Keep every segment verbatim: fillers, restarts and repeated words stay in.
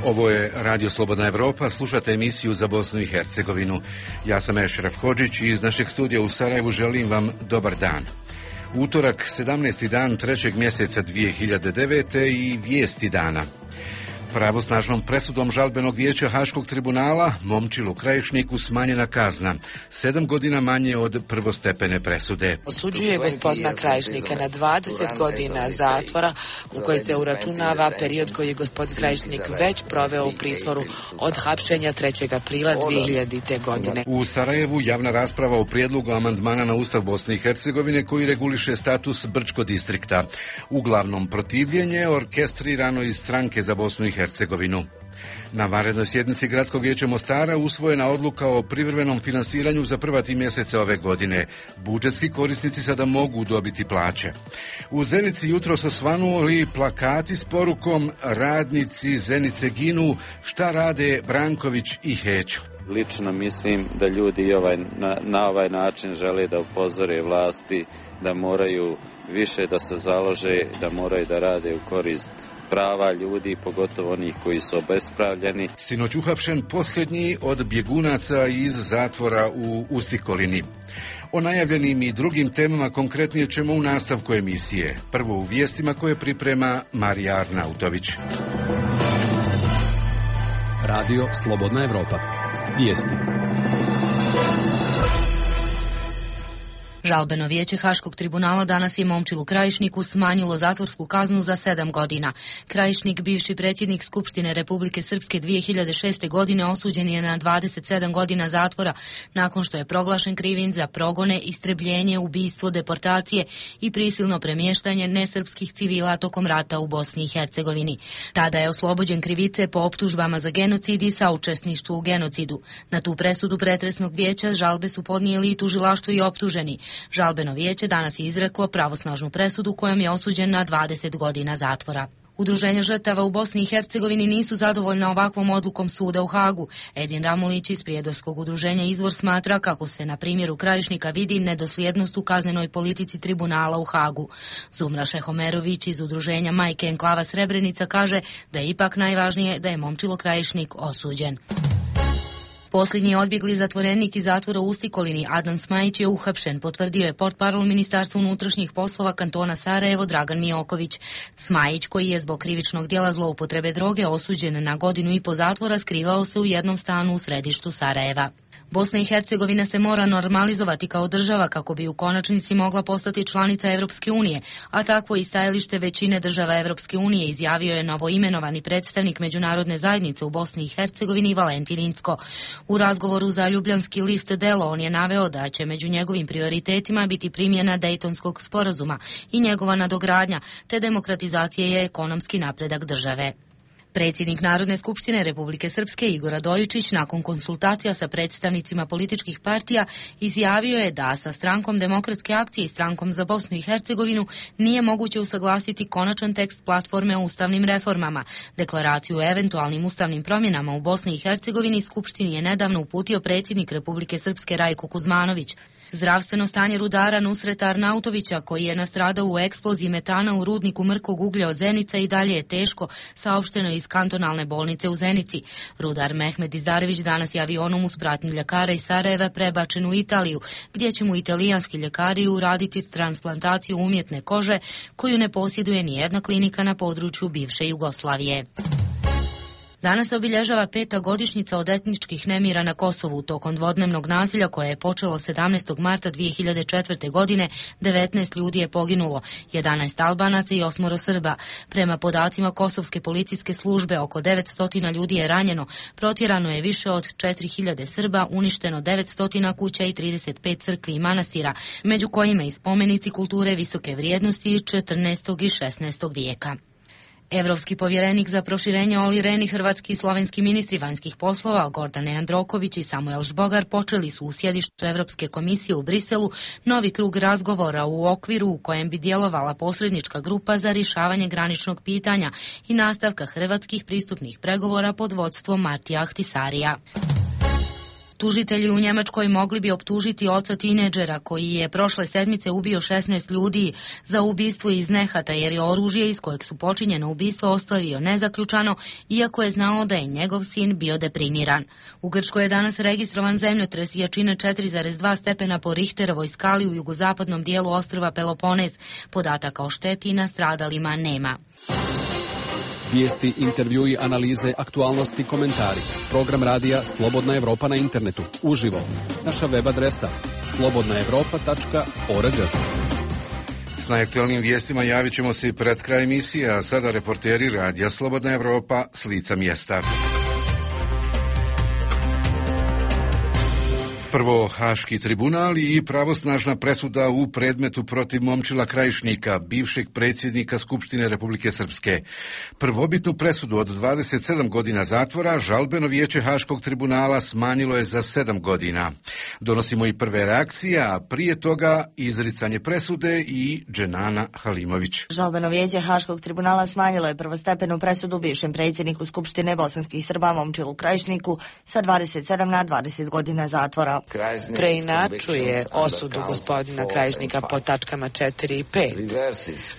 Ovo je Radio Slobodna Evropa, slušate emisiju za Bosnu i Hercegovinu. Ja sam Ešraf Hodžić i iz našeg studija u Sarajevu želim vam dobar dan. Utorak, sedamnaesti dan trećeg mjeseca dvije hiljade devete i vijesti dana. Pravosnažnom presudom žalbenog vijeća Haškog tribunala Momčilu Krajišniku smanjena kazna, sedam godina manje od prvostepene presude. Osuđuje gospodina Krajišnika na dvadeset godina zatvora u kojoj se uračunava period koji je gospodin Krajišnik već proveo u pritvoru od hapšenja trećeg aprila dvije hiljadite. godine. U Sarajevu javna rasprava o prijedlogu amandmana na Ustav Bosne i Hercegovine koji reguliše status Brčko distrikta. Uglavnom protivljenje orkestrirano iz Stranke za Bosnu i Hercegovinu. Na vanrednoj sjednici Gradskog vijeća Mostara usvojena odluka o privremenom finansiranju za prva tri mjeseca ove godine. Budžetski korisnici sada mogu dobiti plaće. U Zenici jutros osvanuli plakati s porukom "Radnici Zenice ginu, šta rade Branković i Hećo". Lično mislim da ljudi ovaj, na, na ovaj način žele da upozore vlasti da moraju više da se založe, da moraju da rade u korist prava ljudi, pogotovo onih koji su obespravljeni. Sinoć uhapšen posljednji od bjegunaca iz zatvora u Ustikolini. O najavljenim i drugim temama konkretnije ćemo u nastavku emisije. Prvo u vijestima koje priprema Marija Arnautović. Radio Slobodna Evropa. Vijesti. Žalbeno vijeće Haškog tribunala danas je Momčilu Krajišniku smanjilo zatvorsku kaznu za sedam godina. Krajišnik, bivši predsjednik Skupštine Republike Srpske dvije hiljade šeste. godine, osuđen je na dvadeset sedam godina zatvora nakon što je proglašen krivim za progone, istrebljenje, ubistvo, deportacije i prisilno premještanje nesrpskih civila tokom rata u Bosni i Hercegovini. Tada je oslobođen krivice po optužbama za genocid i saučesništvo u genocidu. Na tu presudu pretresnog vijeća žalbe su podnijeli i tužilaštvo i optuženi. Žalbeno vijeće danas je izreklo pravosnažnu presudu kojom je osuđen na dvadeset godina zatvora. Udruženja žrtava u Bosni i Hercegovini nisu zadovoljna ovakvom odlukom suda u Hagu. Edin Ramulić iz Prijedorskog udruženja Izvor smatra kako se na primjeru Krajišnika vidi nedosljednost u kaznenoj politici tribunala u Hagu. Zumra Šehomerović iz udruženja Majke enklava Srebrenica kaže da je ipak najvažnije da je Momčilo Krajišnik osuđen. Posljednji odbjegli zatvorenik iz zatvora u Ustikolini Adnan Smajić je uhapšen, potvrdio je portparol Ministarstva unutrašnjih poslova kantona Sarajevo Dragan Mijoković. Smajić, koji je zbog krivičnog djela zloupotrebe droge osuđen na godinu i po zatvora, skrivao se u jednom stanu u središtu Sarajeva. Bosna i Hercegovina se mora normalizovati kao država kako bi u konačnici mogla postati članica Evropske unije, a takvo i stajalište većine država Evropske unije izjavio je novoimenovani predstavnik međunarodne zajednice u Bosni i Hercegovini Valentin Incko. U razgovoru za Ljubljanski list Delo on je naveo da će među njegovim prioritetima biti primjena Dejtonskog sporazuma i njegova nadogradnja, te demokratizacija i ekonomski napredak države. Predsjednik Narodne skupštine Republike Srpske Igor Radojičić nakon konsultacija sa predstavnicima političkih partija izjavio je da sa Strankom demokratske akcije i Strankom za Bosnu i Hercegovinu nije moguće usaglasiti konačan tekst platforme o ustavnim reformama. Deklaraciju o eventualnim ustavnim promjenama u Bosni i Hercegovini Skupštini je nedavno uputio predsjednik Republike Srpske Rajko Kuzmanović. Zdravstveno stanje rudara Nusreta Arnautovića, koji je nastradao u eksploziji metana u rudniku mrkog uglja od Zenica, i dalje je teško, saopšteno iz kantonalne bolnice u Zenici. Rudar Mehmed Izdarević danas je avionom uz pratnju ljekara iz Sarajeva prebačen u Italiju, gdje će mu italijanski ljekari uraditi transplantaciju umjetne kože, koju ne posjeduje ni jedna klinika na području bivše Jugoslavije. Danas se obilježava peta godišnjica od etničkih nemira na Kosovu. Tokom dvodnevnog nasilja koje je počelo sedamnaestog marta dvije hiljade četvrte. godine, devetnaest ljudi je poginulo, jedanaest Albanaca i osmoro Srba. Prema podacima Kosovske policijske službe, oko devetsto ljudi je ranjeno, protjerano je više od četiri hiljade Srba, uništeno devetsto kuća i trideset pet crkvi i manastira, među kojima i spomenici kulture visoke vrijednosti iz četrnaestog i šesnaestog vijeka. Evropski povjerenik za proširenje Oli Rehn i hrvatski i slovenski ministri vanjskih poslova Gordane Androković i Samuel Žbogar počeli su u sjedištu Evropske komisije u Briselu novi krug razgovora u okviru u kojem bi djelovala posrednička grupa za rješavanje graničnog pitanja i nastavka hrvatskih pristupnih pregovora pod vodstvom Martija Ahtisarija. Tužitelji u Njemačkoj mogli bi optužiti oca tineđera koji je prošle sedmice ubio šesnaest ljudi za ubistvo iz nehata jer je oružje iz kojeg su počinjeno ubistvo ostavio nezaključano, iako je znao da je njegov sin bio deprimiran. U Grčkoj je danas registrovan zemljotres jačine četiri zarez dva stepena po Richterovoj skali u jugozapadnom dijelu ostrva Peloponez. Podataka o šteti i nastradalima nema. Vijesti, intervjui, analize, aktualnosti, komentari. Program radija Slobodna Evropa na internetu. Uživo. Naša web adresa slobodna evropa tačka org. S najaktualnim vijestima javit ćemo se i pred kraj emisije, a sada reporteri radija Slobodna Evropa s lica mjesta. Prvo, Haški tribunal i pravosnažna presuda u predmetu protiv Momčila Krajišnika, bivšeg predsjednika Skupštine Republike Srpske. Prvobitnu presudu od dvadeset sedam godina zatvora žalbeno vijeće Haškog tribunala smanjilo je za sedam godina. Donosimo i prve reakcije, a prije toga izricanje presude i Dženana Halimović. Žalbeno vijeće Haškog tribunala smanjilo je prvostepenu presudu bivšem predsjedniku Skupštine bosanskih Srba Momčilu Krajišniku sa dvadeset sedam na dvadeset godina zatvora. Preinačuje osudu gospodina Krajišnika po tačkama četiri i pet.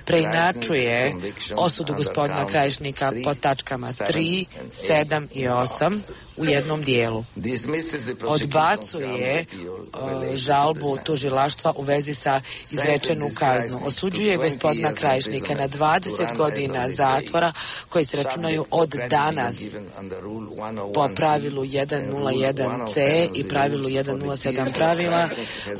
Preinačuje osudu gospodina Krajišnika po tačkama tri, sedam i osam u jednom dijelu. Odbacuje uh, žalbu tužilaštva u vezi sa izrečenu kaznu. Osuđuje gospodina Krajišnika na dvadeset godina zatvora koji se računaju od danas po pravilu sto jedan ce i pravilu sto sedam pravila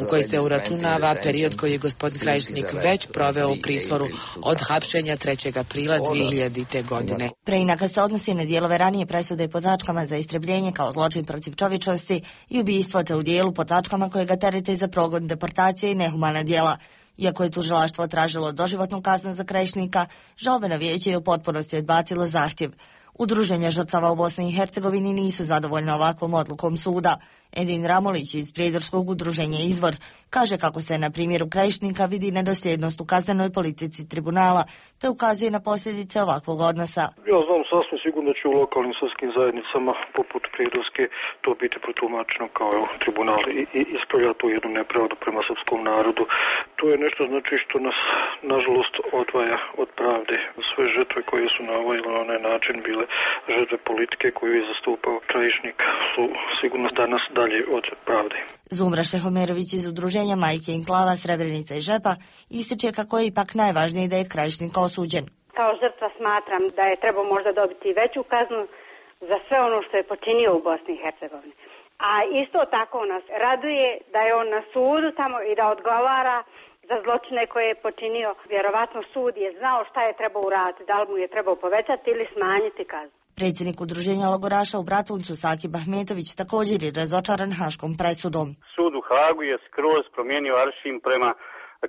u koji se uračunava period koji je gospodin Krajišnik već proveo u pritvoru od hapšenja trećeg aprila dvije hiljadite. godine. Preinaka se odnosi na dijelove ranije presude po tačkama za istrebljenje kao zločin protiv čovječnosti i ubistvo, te u dijelu po tačkama koje ga terete za progon, deportacije i nehumana djela. Iako je tužilaštvo tražilo doživotnu kaznu za Krajišnika, žalbeno vijeće je u potpunosti odbacilo zahtjev. Udruženja žrtava u Bosni i Hercegovini nisu zadovoljna ovakvom odlukom suda. Edin Ramolić iz prijedorskog udruženja Izvor kaže kako se na primjeru Krajišnika vidi nedosljednost u kaznenoj politici tribunala, te ukazuje na posljedice ovakvog odnosa. Ja znam sasvim sigurno da će u lokalnim sudskim zajednicama poput Prijedorske to biti protumačeno kao evo, tribunal i, i ispravlja tu jednu nepravdu prema srpskom narodu. To je nešto znači što nas nažalost odvaja od pravde. Sve žrtve koje su na ovaj ili onaj način bile žrtve politike koju je zastupao Krajišnik su sigurno danas dalje od pravde. Zumra Šehomerović iz udruženja Majke Inklava, Srebrenica i Žepa ističe kako je ipak najvažnije da je Krajišnik osuđen. Kao žrtva smatram da je trebao možda dobiti veću kaznu za sve ono što je počinio u Bosni i Hercegovini. A isto tako nas raduje da je on na sudu tamo i da odgovara za zločine koje je počinio. Vjerovatno sud je znao šta je trebao uraditi, da li mu je trebao povećati ili smanjiti kaznu. Predsjednik udruženja logoraša u Bratuncu Sakib Ahmetović također je razočaran Haškom presudom. Sud u Hagu je skroz promijenio aršin prema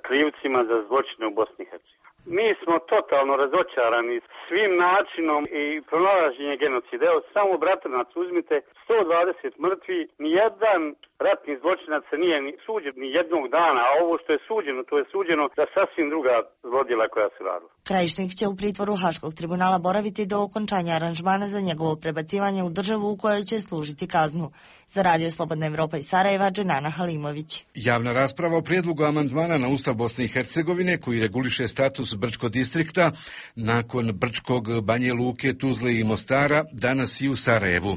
krivcima za zločine u Bosni i Hercegovini. Mi smo totalno razočarani svim načinom i pronalaženje genocida. Evo, samo Bratunac uzmite sto dvadeset mrtvi, nijedan ratni zločinac se nije suđen ni jednog dana, a ovo što je suđeno, to je suđeno za sasvim druga zlodjela koja se radila. Krajišnik će u pritvoru Haškog tribunala boraviti do okončanja aranžmana za njegovo prebacivanje u državu u kojoj će služiti kaznu. Za Radio Slobodna Evropa iz Sarajeva, Dženana Halimović. Javna rasprava o prijedlogu amandmana na Ustav Bosne i Hercegovine koji reguliše status Brčkog distrikta nakon Brčkog, Banje Luke, Tuzle i Mostara danas i u Sarajevu.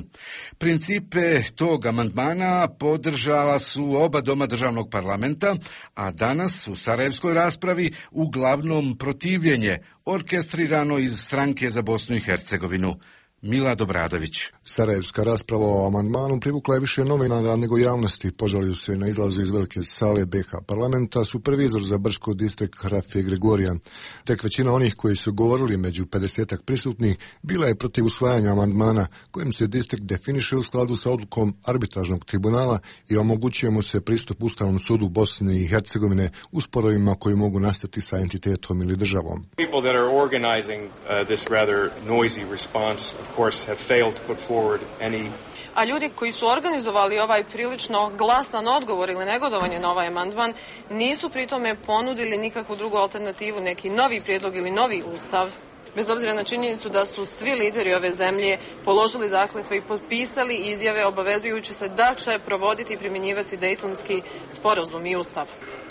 Principe tog amandmana podržala su oba doma državnog parlamenta, a danas u sarajevskoj raspravi uglavnom protivljenje orkestrirano iz Stranke za Bosnu i Hercegovinu. Milad Obradović. Sarajevska rasprava o amandmanu privukla je više novinara nego javnosti. Požalio se na izlazu iz velike sale be ha parlamenta supervizor za Brčko distrikt Rafije Gregorijan. Tek većina onih koji su govorili među pedesetak prisutnih bila je protiv usvajanja amandmana kojim se distrikt definiše u skladu sa odlukom arbitražnog tribunala i omogućuje mu se pristup Ustavnom sudu Bosne i Hercegovine u sporovima koji mogu nastati sa entitetom ili državom. People that are organizing uh, this rather noisy response of course have failed to put forward any. A ljudi koji su organizovali ovaj prilično glasan odgovor ili negodovanje na ovaj amandman nisu pritome ponudili nikakvu drugu alternativu, neki novi prijedlog ili novi ustav bez obzira na činjenicu da su svi lideri ove zemlje položili zakletve i potpisali izjave obavezujući se da će provoditi i primjenjivati Dejtonski sporazum i ustav.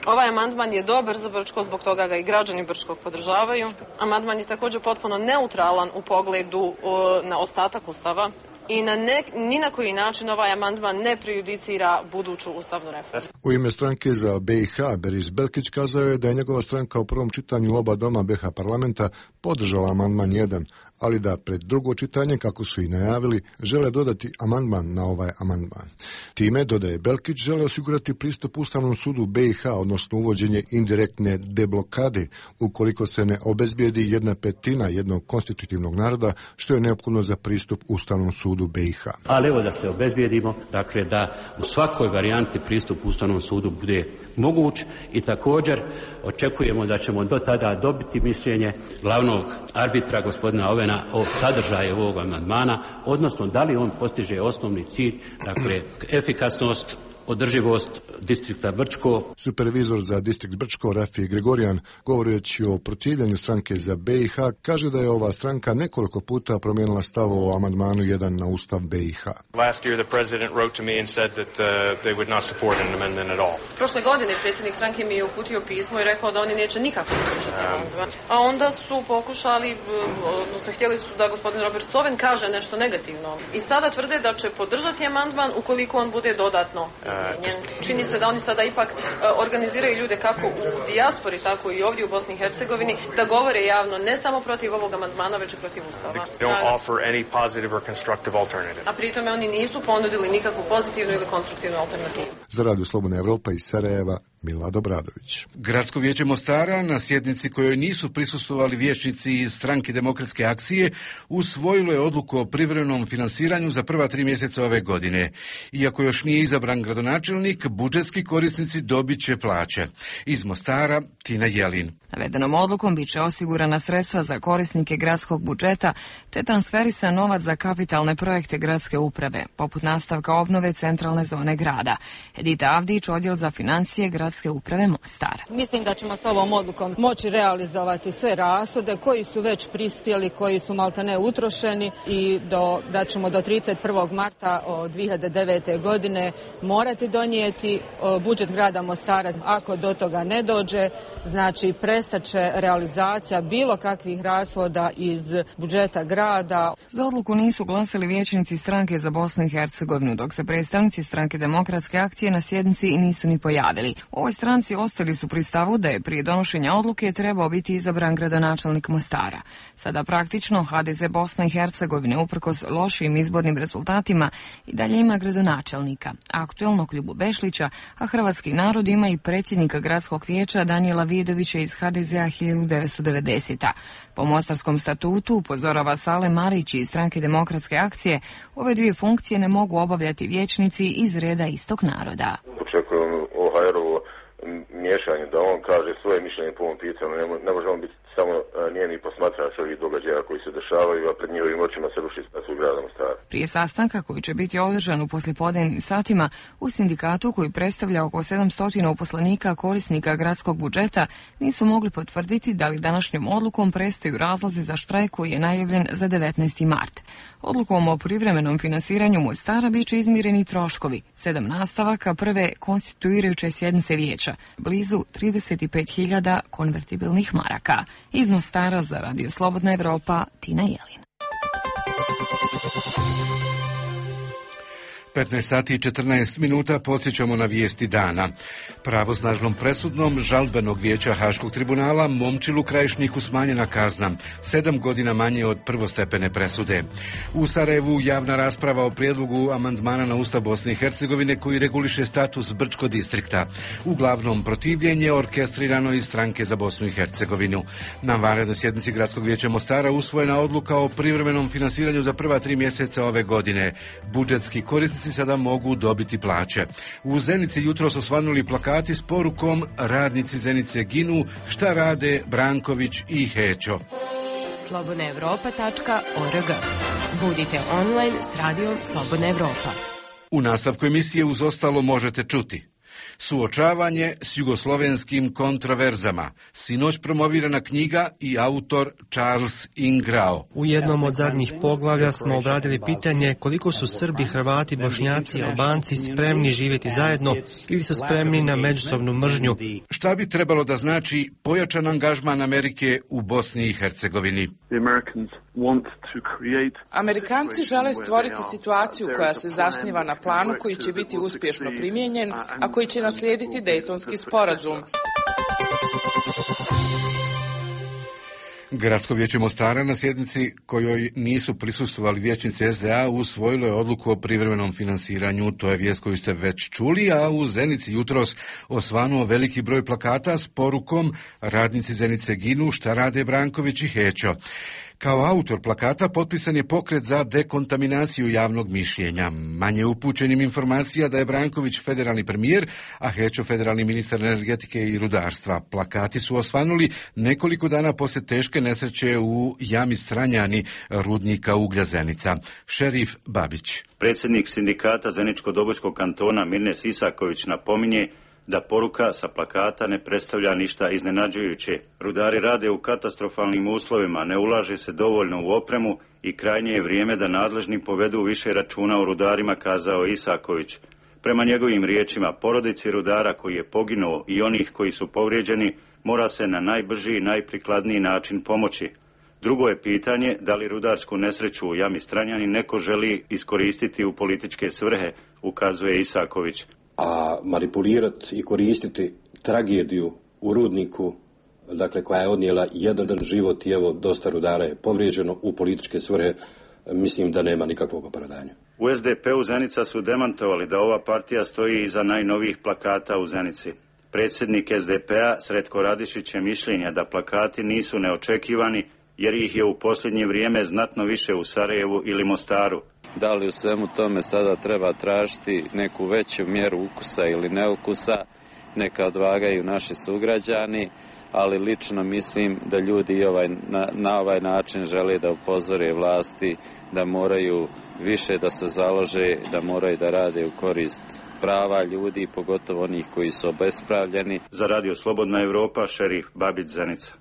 Ovaj amandman je dobar za Brčko, zbog toga ga i građani Brčkog podržavaju. Amandman je također potpuno neutralan u pogledu o, na ostatak ustava i na ne, ni na koji način ovaj amandman ne prejudicira buduću ustavnu reformu. U ime stranke za B i H Beris Belkić kazao je da je njegova stranka u prvom čitanju oba doma B i H parlamenta podržala amandman jedan, ali da pred drugo čitanje, kako su i najavili, žele dodati amandman na ovaj amandman. Time, dodaje Belkić, žele osigurati pristup Ustavnom sudu B i H, odnosno uvođenje indirektne deblokade, ukoliko se ne obezbijedi jedna petina jednog konstitutivnog naroda, što je neophodno za pristup Ustavnom sudu B i H. Ali evo da se obezbijedimo, dakle da u svakoj varijanti pristup Ustavnom sudu bude moguć i također očekujemo da ćemo do tada dobiti mišljenje glavnog arbitra gospodina Ovena o sadržaju ovog amandmana, odnosno da li on postiže osnovni cilj, dakle efikasnost, održivost distrikta Brčko. Supervizor za distrikt Brčko Rafije Gregorijan, govoreći o protivljenju stranke za B i H, kaže da je ova stranka nekoliko puta promijenila stav o amandmanu jedan na ustav B i H. Last year the president wrote to me and said that uh, they would not support an amendment at all. Prošle godine predsjednik stranke mi je uputio pismo i rekao da oni neće nikako podržati amandman. A onda su pokušali, odnosno htjeli su da gospodin Robert Coven kaže nešto negativno. I sada tvrde da će podržati amandman ukoliko on bude dodatno izmijenjen. Čini se da oni sada ipak organiziraju ljude kako u dijaspori, tako i ovdje u Bosni i Hercegovini, da govore javno ne samo protiv ovog amandmana, već i protiv ustava. A pritome oni nisu ponudili nikakvu pozitivnu ili konstruktivnu alternativu. Za Radio Slobodna Evropa iz Sarajeva, Milad Obradović. Gradsko vijeće Mostara na sjednici kojoj nisu prisustvovali vijećnici iz stranke Demokratske akcije usvojilo je odluku o privremenom finansiranju za prva tri mjeseca ove godine. Iako još nije izabran gradonačelnik, budžetski korisnici dobit će plaće. Iz Mostara, Tina Jelin. Navedenom odlukom bit će osigurana sredstva za korisnike gradskog budžeta te transferisan novac za kapitalne projekte gradske uprave, poput nastavka obnove centralne zone grada. Edita Avdić, odjel za financije gradske uprave Mostar. Mislim da ćemo s ovom odlukom moći realizovati sve rashode koji su već prispjeli, koji su maltene utrošeni i do, da ćemo do trideset prvog marta dvije hiljade devete. godine morati donijeti budžet grada Mostara. Ako do toga ne dođe, znači prestaće realizacija bilo kakvih rashoda iz budžeta grada. Za odluku nisu glasili vijećnici stranke za Bosnu i Hercegovinu, dok se predstavnici stranke Demokratske akcije na sjednici nisu ni pojavili. U ovoj stranci ostali su pri stavu da je prije donošenja odluke trebao biti izabran gradonačelnik Mostara. Sada praktično H D Z Bosna i Hercegovine uprkos lošim izbornim rezultatima i dalje ima gradonačelnika, aktuelnog Ljubu Bešlića, a hrvatski narod ima i predsjednika gradskog vijeća Danijela Vidovića iz H D Z-a hiljadu devetsto devedesete. Po mostarskom statutu, upozorava Sale Marić iz stranke Demokratske akcije, ove dvije funkcije ne mogu obavljati vijećnici iz reda istog naroda. Očekujem o Hajerovo miješanje, da on kaže svoje mišljenje po ovom pitanju. Ne, ne može on biti samo njeni posmatrač ovih događaja koji se dešavaju, a pred njihovim očima se ruši status grada Mostara. Prije sastanka koji će biti održan u poslijepodnevnim satima u sindikatu koji predstavlja oko sedamsto uposlenika korisnika gradskog budžeta nisu mogli potvrditi da li današnjom odlukom prestaju razlozi za štrajk koji je najavljen za devetnaesti mart. Odlukom o privremenom finansiranju Mostara bit će izmireni troškovi, sedam nastavaka prve konstituirajuće sjednice vijeća, blizu trideset pet hiljada konvertibilnih maraka. Iz Mostara za Radio Slobodna Evropa, Tina Jelin. petnaest sati i četrnaest minuta podsjećamo na vijesti dana. Pravosnažnom presudnom žalbenog vijeća Haškog tribunala Momčilu Krajišniku smanjena kazna, sedam godina manje od prvostepene presude. U Sarajevu javna rasprava o prijedlogu amandmana na Ustav Bosne i Hercegovine koji reguliše status Brčko distrikta. Uglavnom protivljenje orkestrirano iz stranke za Bosnu i Hercegovinu. Na vanrednoj sjednici Gradskog vijeća Mostara usvojena odluka o privremenom finansiranju za prva tri mjeseca ove godine. Budžetski korisnici sada mogu dobiti plaće. U Zenici jutro su osvanuli plakati s porukom Radnici Zenice ginu, šta rade Branković i Hećo. slobodna evropa tačka org. Budite online s radijom Slobodna Evropa. U nastavku emisije uz ostalo možete čuti. Suočavanje s jugoslovenskim kontroverzama. Sinoć promovirana knjiga i autor Charles Ingrao. U jednom od zadnjih poglavlja smo obradili pitanje koliko su Srbi, Hrvati, Bošnjaci i Albanci spremni živjeti zajedno ili su spremni na međusobnu mržnju. Šta bi trebalo da znači pojačan angažman Amerike u Bosni i Hercegovini? Amerikanci žele stvoriti situaciju koja se zasniva na planu koji će biti uspješno primijenjen, a koji će naslijediti Dejtonski sporazum. Gradsko vijeće Mostara na sjednici kojoj nisu prisustvovali vijećnici S D A usvojilo je odluku o privremenom finansiranju. To je vijest koju ste već čuli, a u Zenici jutros osvanuo veliki broj plakata s porukom radnici Zenice ginu, šta rade Branković i Hećo. Kao autor plakata potpisan je pokret za dekontaminaciju javnog mišljenja. Manje upućenim informacija da je Branković federalni premijer, a Hećo federalni ministar energetike i rudarstva. Plakati su osvanuli nekoliko dana poslije teške nesreće u jami Stranjani rudnika uglja Zenica. Šerif Babić. Predsjednik sindikata Zeničko-Dobojskog kantona Mirnes Isaković napominje da poruka sa plakata ne predstavlja ništa iznenađujuće. Rudari rade u katastrofalnim uslovima, ne ulaže se dovoljno u opremu i krajnje je vrijeme da nadležni povedu više računa o rudarima, kazao Isaković. Prema njegovim riječima, porodici rudara koji je poginuo i onih koji su povrijeđeni mora se na najbrži i najprikladniji način pomoći. Drugo je pitanje da li rudarsku nesreću u jami Stranjani neko želi iskoristiti u političke svrhe, ukazuje Isaković. A manipulirati i koristiti tragediju u rudniku, dakle koja je odnijela jedan život i evo dosta rudara je povrijeđeno u političke svrhe, mislim da nema nikakvog opravdanja. U S D P-u Zenica su demantovali da ova partija stoji iza najnovijih plakata u Zenici. Predsjednik S D P-a Sretko Radišić je mišljenja da plakati nisu neočekivani jer ih je u posljednje vrijeme znatno više u Sarajevu ili Mostaru. Da li u svemu tome sada treba tražiti neku veću mjeru ukusa ili neukusa, neka odvagaju naši sugrađani, ali lično mislim da ljudi ovaj, na, na ovaj način žele da upozore vlasti da moraju više da se založe, da moraju da rade u korist prava ljudi, pogotovo onih koji su obespravljeni. Za Radio Slobodna Evropa, šerif Babić, Zenica.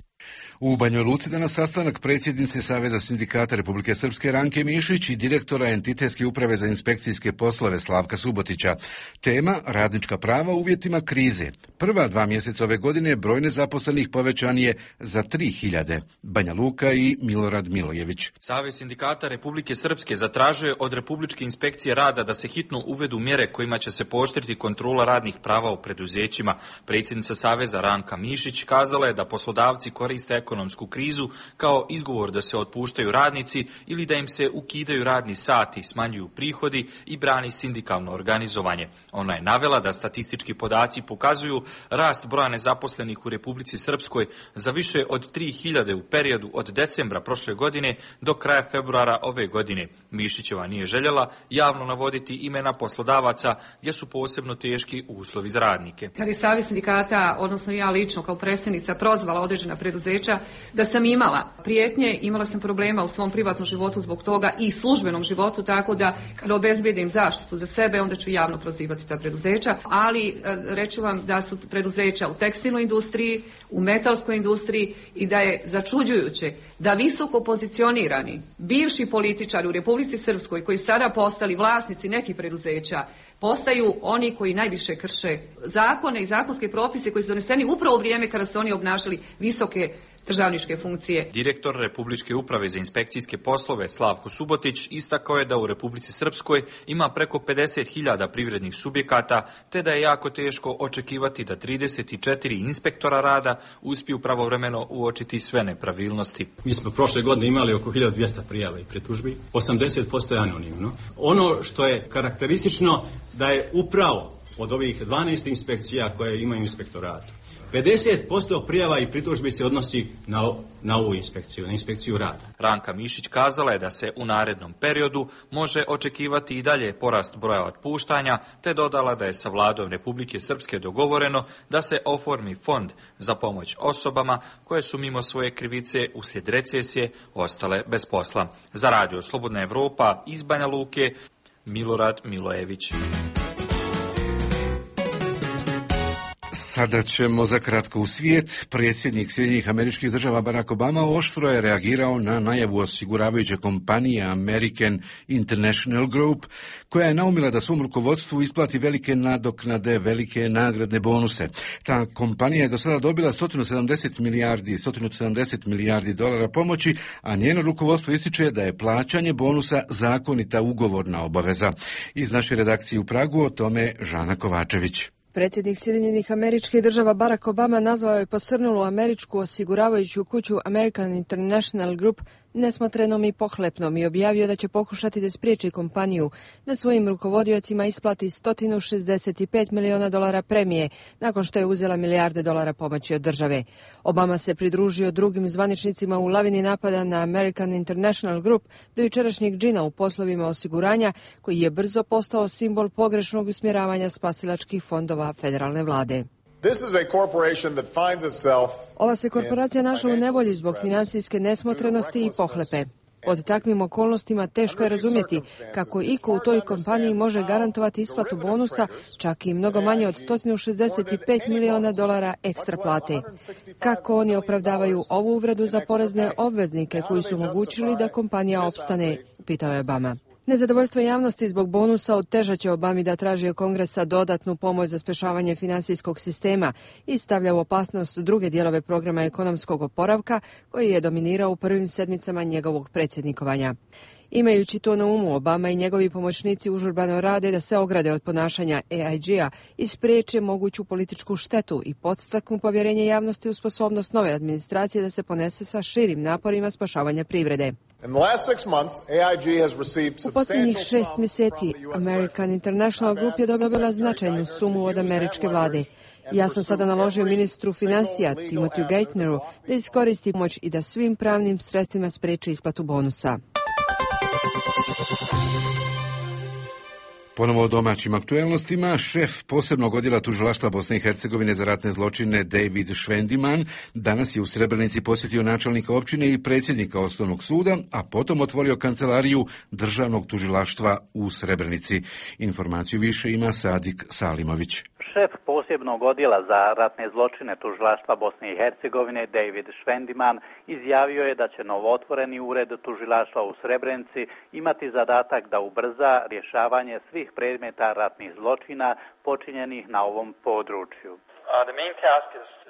U Banjoj Luci danas sastanak predsjednice Saveza sindikata Republike Srpske Ranke Mišić i direktora Entitetske uprave za inspekcijske poslove Slavka Subotića. Tema radnička prava u uvjetima krize. Prva dva mjeseca ove godine broj nezaposlenih povećan je za tri hiljade. Banja Luka i Milorad Milojević. Savez sindikata Republike Srpske zatražio je od Republičke inspekcije rada da se hitno uvedu mjere kojima će se pooštriti kontrola radnih prava u preduzećima. Predsjednica Saveza Ranka Mišić kazala je da poslodavci koriste ekonomsku krizu kao izgovor da se otpuštaju radnici ili da im se ukidaju radni sati, smanjuju prihodi i brani sindikalno organizovanje. Ona je navela da statistički podaci pokazuju rast broja nezaposlenih u Republici Srpskoj za više od tri hiljade u periodu od decembra prošle godine do kraja februara ove godine. Mišićeva nije željela javno navoditi imena poslodavaca gdje su posebno teški uslovi za radnike. Kad je Savez sindikata, odnosno ja lično kao predstavnica, prozvala određena preduzeća da sam imala prijetnje, imala sam problema u svom privatnom životu zbog toga i službenom životu, tako da kada obezbijedim zaštitu za sebe, onda ću javno prozivati ta preduzeća, ali reći vam da su preduzeća u tekstilnoj industriji, u metalskoj industriji i da je začuđujuće da visoko pozicionirani bivši političari u Republici Srpskoj koji sada postali vlasnici nekih preduzeća postaju oni koji najviše krše zakone i zakonske propise koji su doneseni upravo u vrijeme kada su oni obnašali visoke državničke funkcije. Direktor Republičke uprave za inspekcijske poslove Slavko Subotić istakao je da u Republici Srpskoj ima preko pedeset hiljada privrednih subjekata, te da je jako teško očekivati da trideset četiri inspektora rada uspiju pravovremeno uočiti sve nepravilnosti. Mi smo prošle godine imali oko hiljadu dvjesto prijava i pritužbi, osamdeset posto je anonimno. Ono što je karakteristično da je upravo od ovih dvanaest inspekcija koje imaju inspektoratu, pedeset posto prijava i pritužbi se odnosi na, na ovu inspekciju, na inspekciju rada. Ranka Mišić kazala je da se u narednom periodu može očekivati i dalje porast broja otpuštanja, te dodala da je sa vladom Republike Srpske dogovoreno da se oformi fond za pomoć osobama koje su mimo svoje krivice uslijed recesije ostale bez posla. Za Radio Slobodna Evropa iz Banja Luke, Milorad Milojević. Sada ćemo za kratko u svijet. Predsjednik Sjedinjenih Američkih Država Barack Obama oštro je reagirao na najavu osiguravajuće kompanije American International Group, koja je naumila da svom rukovodstvu isplati velike nadoknade, velike nagradne bonuse. Ta kompanija je do sada dobila sto sedamdeset milijardi, sto sedamdeset milijardi dolara pomoći, a njeno rukovodstvo ističe da je plaćanje bonusa zakonita ugovorna obaveza. Iz naše redakcije u Pragu o tome Žana Kovačević. Predsjednik Sjedinjenih Američkih Država Barack Obama nazvao je posrnulu američku osiguravajuću kuću American International Group nesmotrenom i pohlepnom i objavio da će pokušati da spriječi kompaniju da svojim rukovodiocima isplati sto šezdeset pet miliona dolara premije nakon što je uzela milijarde dolara pomoći od države. Obama se pridružio drugim zvaničnicima u lavini napada na American International Group do jučerašnjeg džina u poslovima osiguranja, koji je brzo postao simbol pogrešnog usmjeravanja spasilačkih fondova federalne vlade. Ova se korporacija našla u nevolji zbog financijske nesmotrenosti i pohlepe. Pod takvim okolnostima teško je razumjeti kako iko u toj kompaniji može garantovati isplatu bonusa, čak i mnogo manje od sto šezdeset pet miliona dolara ekstra plate. Kako oni opravdavaju ovu uvredu za porezne obveznike koji su omogućili da kompanija opstane, pitao je Obama. Nezadovoljstvo javnosti zbog bonusa otežat će Obami da traži od Kongresa dodatnu pomoć za spašavanje finansijskog sistema i stavlja u opasnost druge dijelove programa ekonomskog oporavka koji je dominirao u prvim sedmicama njegovog predsjednikovanja. Imajući to na umu, Obama i njegovi pomoćnici užurbano rade da se ograde od ponašanja A I G-a i spriječe moguću političku štetu i podstaknu povjerenje javnosti u sposobnost nove administracije da se ponese sa širim naporima spašavanja privrede. U posljednjih šest mjeseci American International Group je dobila značajnu sumu od američke vlade. Ja sam sada naložio ministru financija Timothy Geithneru da iskoristi pomoć i da svim pravnim sredstvima spriječi isplatu bonusa. Ponovo o domaćim aktuelnostima, šef posebnog odjela tužilaštva Bosne i Hercegovine za ratne zločine David Švendiman danas je u Srebrenici posjetio načelnika općine i predsjednika Osnovnog suda, a potom otvorio kancelariju državnog tužilaštva u Srebrenici. Informaciju više ima Sadik Salimović. Šef posebnog odjela za ratne zločine tužilaštva Bosne i Hercegovine David Švendiman izjavio je da će novootvoreni ured tužilaštva u Srebrenici imati zadatak da ubrza rješavanje svih predmeta ratnih zločina počinjenih na ovom području.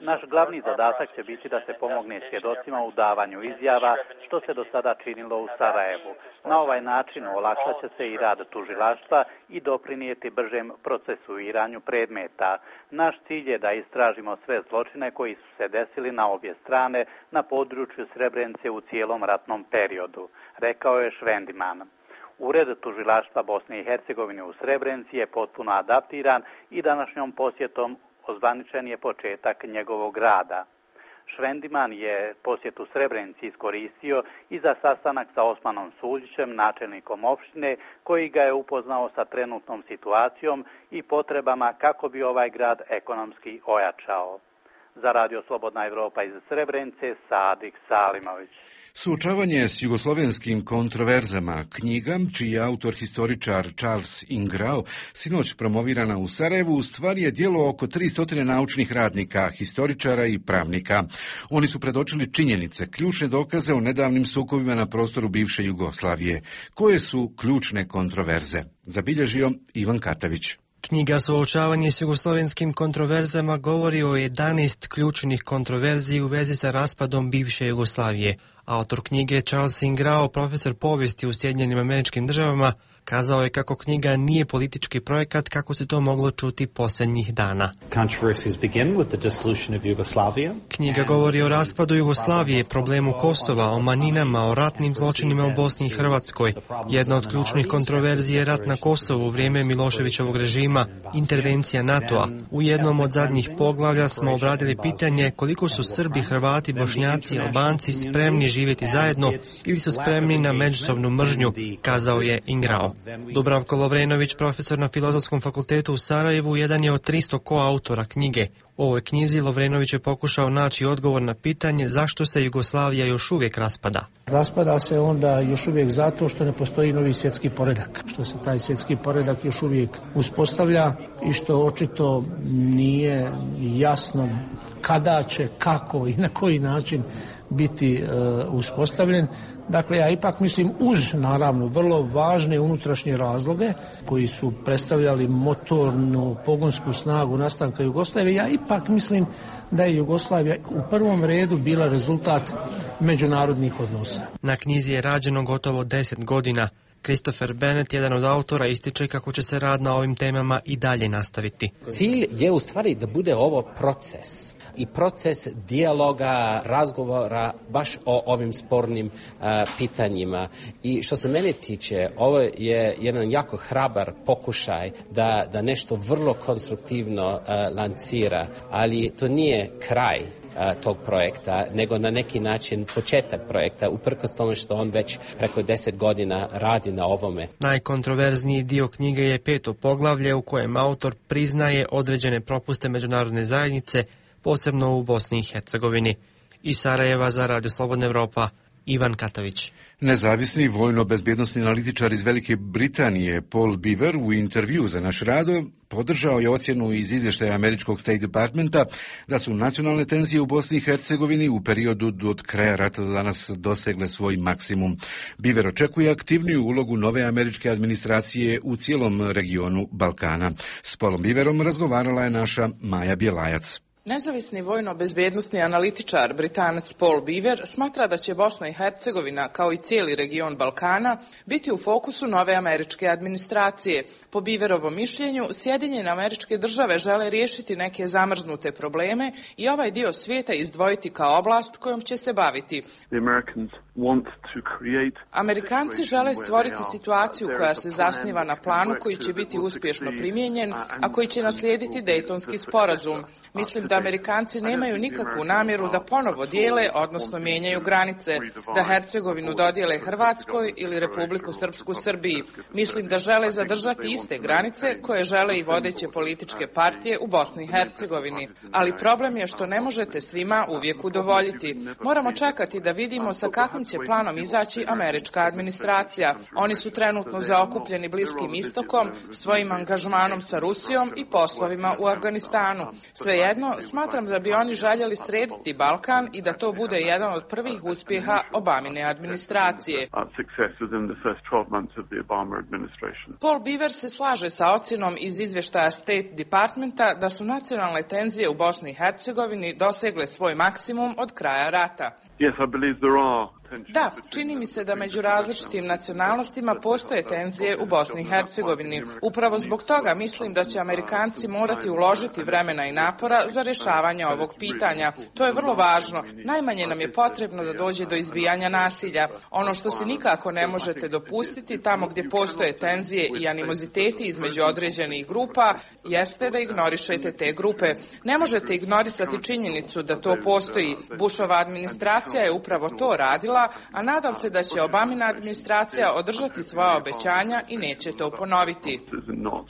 Naš glavni zadatak će biti da se pomogne svjedocima u davanju izjava, što se do sada činilo u Sarajevu. Na ovaj način olakšat će se i rad tužilaštva i doprinijeti bržem procesuiranju predmeta. Naš cilj je da istražimo sve zločine koji su se desili na obje strane na području Srebrenice u cijelom ratnom periodu, rekao je Švendiman. Ured tužilaštva Bosne i Hercegovine u Srebrenici je potpuno adaptiran i današnjom posjetom ozvaničen je početak njegovog rada. Švendiman je posjetu Srebrenici iskoristio i za sastanak sa Osmanom Suljićem, načelnikom opštine, koji ga je upoznao sa trenutnom situacijom i potrebama kako bi ovaj grad ekonomski ojačao. Za Radio Slobodna Evropa iz Srebrenice, Sadik Salimović. Suočavanje s jugoslovenskim kontroverzama, knjiga, čiji je autor historičar Charles Ingrao, sinoć promovirana u Sarajevu, u stvari je djelo oko tristo naučnih radnika, historičara i pravnika. Oni su predočili činjenice, ključne dokaze o nedavnim sukobima na prostoru bivše Jugoslavije. Koje su ključne kontroverze? Zabilježio Ivan Katavić. Knjiga Suočavanje s jugoslovenskim kontroverzama govori o jedanaest ključnih kontroverzi u vezi sa raspadom bivše Jugoslavije. Autor knjige Charles Ingrao, profesor povijesti u Sjedinjenim Američkim Državama, kazao je kako knjiga nije politički projekat kako se to moglo čuti posljednjih dana. Knjiga govori o raspadu Jugoslavije, problemu Kosova, o manjinama, o ratnim zločinima u Bosni i Hrvatskoj. Jedna od ključnih kontroverzija je rat na Kosovu u vrijeme Miloševićevog režima, intervencija NATO-a. U jednom od zadnjih poglavlja smo obradili pitanje koliko su Srbi, Hrvati, Bošnjaci i Albanci spremni živjeti zajedno ili su spremni na međusobnu mržnju, kazao je Ingrao. Dubravko Lovrenović, profesor na Filozofskom fakultetu u Sarajevu, jedan je od tristo koautora knjige. U ovoj knjizi Lovrenović je pokušao naći odgovor na pitanje zašto se Jugoslavija još uvijek raspada. Raspada se onda još uvijek zato što ne postoji novi svjetski poredak, što se taj svjetski poredak još uvijek uspostavlja i što očito nije jasno kada će, kako i na koji način biti e, uspostavljen. Dakle, ja ipak mislim uz, naravno, vrlo važne unutrašnje razloge koji su predstavljali motornu pogonsku snagu nastanka Jugoslavije, ja ipak mislim da je Jugoslavija u prvom redu bila rezultat međunarodnih odnosa. Na knjizi je rađeno gotovo deset godina. Christopher Bennett, jedan od autora, ističe kako će se rad na ovim temama i dalje nastaviti. Cilj je u stvari da bude ovo proces i proces dijaloga, razgovora baš o ovim spornim uh, pitanjima. I što se mene tiče, ovo je jedan jako hrabar pokušaj da, da nešto vrlo konstruktivno uh, lancira, ali to nije kraj tog projekta, nego na neki način početak projekta, uprkos tome što on već preko deset godina radi na ovome. Najkontroverzniji dio knjige je peto poglavlje u kojem autor priznaje određene propuste međunarodne zajednice, posebno u Bosni i Hercegovini. Iz Sarajeva za Radio Slobodna Evropa, Ivan Katavić. Nezavisni vojno-bezbjednosni analitičar iz Velike Britanije Paul Beaver u intervju za naš radio podržao je ocjenu iz izvještaja američkog State Departmenta da su nacionalne tenzije u Bosni i Hercegovini u periodu od kraja rata do danas dosegle svoj maksimum. Beaver očekuje aktivniju ulogu nove američke administracije u cijelom regionu Balkana. S Paulom Beaverom razgovarala je naša Maja Bjelajac. Nezavisni vojno-bezbjednosni analitičar Britanac Paul Beaver smatra da će Bosna i Hercegovina, kao i cijeli region Balkana, biti u fokusu nove američke administracije. Po Beaverovom mišljenju, Sjedinjene Američke Države žele riješiti neke zamrznute probleme i ovaj dio svijeta izdvojiti kao oblast kojom će se baviti. Amerikanci žele stvoriti situaciju koja se zasniva na planu koji će biti uspješno primijenjen, a koji će naslijediti Dejtonski sporazum. Mislim da Amerikanci nemaju nikakvu namjeru da ponovo dijele, odnosno mijenjaju granice, da Hercegovinu dodijele Hrvatskoj ili Republiku Srpsku Srbiji. Mislim da žele zadržati iste granice koje žele i vodeće političke partije u Bosni i Hercegovini. Ali problem je što ne možete svima uvijek udovoljiti. Moramo čekati da vidimo sa kakvim će planom izaći američka administracija. Oni su trenutno zaokupljeni Bliskim istokom, svojim angažmanom sa Rusijom i poslovima u Afganistanu. Svejedno, smatram da bi oni željeli srediti Balkan i da to bude jedan od prvih uspjeha Obamine administracije. Paul Beaver se slaže sa ocjenom iz izvještaja State Departmenta da su nacionalne tenzije u Bosni i Hercegovini dosegle svoj maksimum od kraja rata. Yes, I believe there are. Da, čini mi se da među različitim nacionalnostima postoje tenzije u Bosni i Hercegovini. Upravo zbog toga mislim da će Amerikanci morati uložiti vremena i napora za rješavanje ovog pitanja. To je vrlo važno. Najmanje nam je potrebno da dođe do izbijanja nasilja. Ono što se nikako ne možete dopustiti tamo gdje postoje tenzije i animoziteti između određenih grupa jeste da ignorišete te grupe. Ne možete ignorisati činjenicu da to postoji. Bushova administracija je upravo to radila, a nadam se da će Obamina administracija održati svoja obećanja i neće to ponoviti.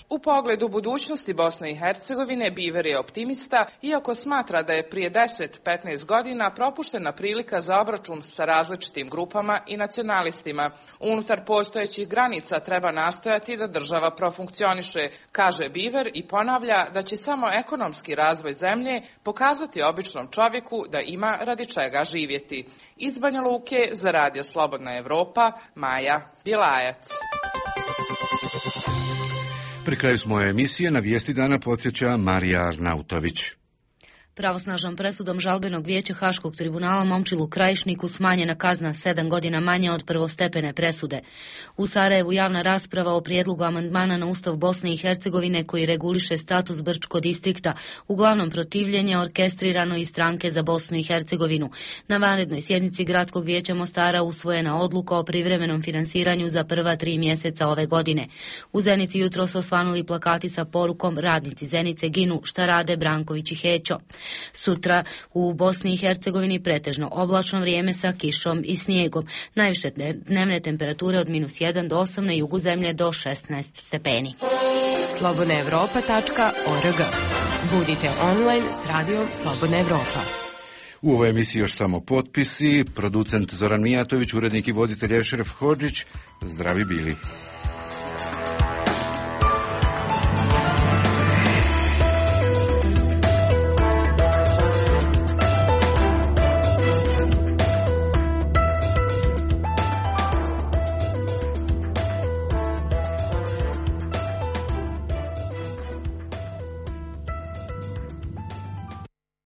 U pogledu budućnosti Bosne i Hercegovine, Beaver je optimista, iako smatra da je prije deset do petnaest godina propuštena prilika za obračun sa različitim grupama i nacionalistima. Unutar postojećih granica treba nastojati da država profunkcioniše, kaže Beaver i ponavlja da će samo ekonomski razvoj zemlje pokazati običnom čovjeku da ima radi čega živjeti. Iz Banja Luke za Radio Slobodna Evropa, Maja Bjelajac. Pri kraju smo emisije na vijesti dana podsjeća Marija Arnautović. Pravosnažnom presudom žalbenog vijeća Haškog tribunala Momčilu Krajišniku smanjena kazna sedam godina manje od prvostepene presude. U Sarajevu javna rasprava o prijedlogu amandmana na Ustav Bosne i Hercegovine koji reguliše status Brčko distrikta, uglavnom protivljenje orkestrirano iz Stranke za Bosnu i Hercegovinu. Na vanrednoj sjednici Gradskog vijeća Mostara usvojena odluka o privremenom finansiranju za prva tri mjeseca ove godine. U Zenici jutro su osvanuli plakati sa porukom Radnici Zenice ginu, šta rade Branković i Hećo. Sutra u Bosni i Hercegovini pretežno oblačno vrijeme sa kišom i snijegom. Najviše dnevne temperature od minus jedan do osam, na jugu zemlje do šesnaest stepeni. slobodna evropa tačka org. Budite online s radijom Slobodna Evropa. U ovoj emisiji još samo potpisi, producent Zoran Mijatović, urednik i voditelj Ešref Hodžić. Zdravi bili.